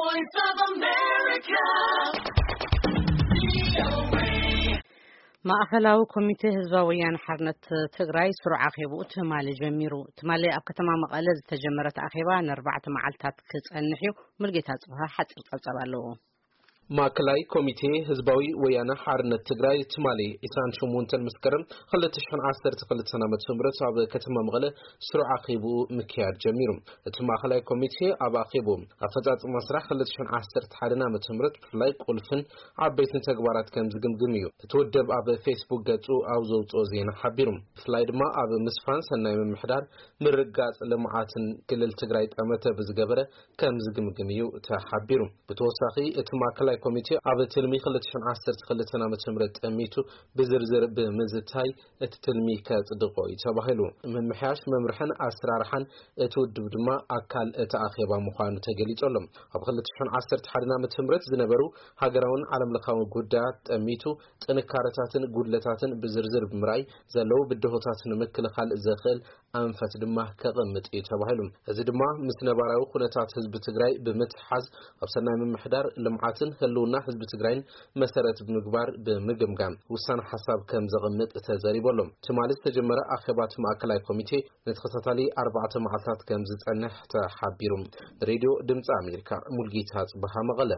Voice of America. ማእኸላዊ ኮሚቴ ህዝባዊ ወያነ ሓርነት ትግራይ ስሩዕ ኣኼባኡ ትማሊ ጀሚሩ። ትማሊ ኣብ ከተማ መቐለ ዝተጀመረ እቲ ኣኼባ ንኣርባዕተ መዓልታት ክጸንሕ እዩ። ሙልጌታ ጽብሃ ሓጺር ጸብጻብ ኣለዎ። ማእከላይ ኮሚቴ ህዝባዊ ወያነ ሓርነት ትግራይ ትማሊ ዕስራን ሸሞንተን መስከረም ክልተ ሽሕን ዓሰርተ ክልተን ዓመተ ምህረት ኣብ ከተማ መቐለ ስሩዕ ኣኼባኡ ምክያድ ጀሚሩ። እቲ ማእከላይ ኮሚቴ ኣብ ኣኼባኡ ኣፈጻጽማ ስራሕ ክልተ ሽሕን ዓሰርተ ሓደን ዓመተ ምህረት ብፍላይ ቁልፍን ዓበይትን ተግባራት ከም ዝግምግም እዩ እቲ ውድብ ኣብ ፌስቡክ ገጹ ኣብ ዘውጽኦ ዜና ሓቢሩ። ብፍላይ ድማ ኣብ ምስፋን ሰናይ ምምሕዳር፣ ምርጋጽ ልምዓትን ክልል ትግራይ ጠመተ ብዝገበረ ከም ዝግምግም እዩ ተሓቢሩ። ብተወሳኺ እቲ ማእከላይ ኮሚቴ ኣብ ትልሚ ክልተ ሽሕን ዓሰርተ ክልተን ዓመተ ምህረት ጠሚቱ ብዝርዝር ብምዝታይ እቲ ትልሚ ከጽድቆ እዩ ተባሂሉ። ምምሕያሽ መምርሕን ኣሰራርሓን እቲ ውድብ ድማ ኣካል እቲ ኣኼባ ምዃኑ ተገሊጹ ኣሎ። ኣብ ክልተ ሽሕን ዓሰርተ ሓደን ዓመተ ምህረት ዝነበሩ ሃገራውን ዓለምለኻውን ጉዳያት ጠሚቱ ጥንካረታትን ጉድለታትን ብዝርዝር ብምርኣይ ዘለዉ ብድሆታት ንምክልኻል ዘኽእል ኣንፈት ድማ ከቐምጥ እዩ ተባሂሉ። እዚ ድማ ምስ ነባራዊ ኩነታት ህዝቢ ትግራይ ብምትሓዝ ኣብ ሰናይ ምምሕዳር ልምዓትን ህልውና ህዝቢ ትግራይን መሰረት ብምግባር ብምግምጋም ውሳነ ሓሳብ ከም ዘቐምጥ ተዘሪቡ ኣሎ። ትማሊ ዝተጀመረ ኣኼባ እቲ ማእከላይ ኮሚቴ ንተኸታታሊ ኣርባዕተ መዓልታት ከም ዝጸንሕ ተሓቢሩ። ሬድዮ ድምፂ ኣሜሪካ፣ ሙልጌታ ጽብሃ፣ መቐለ።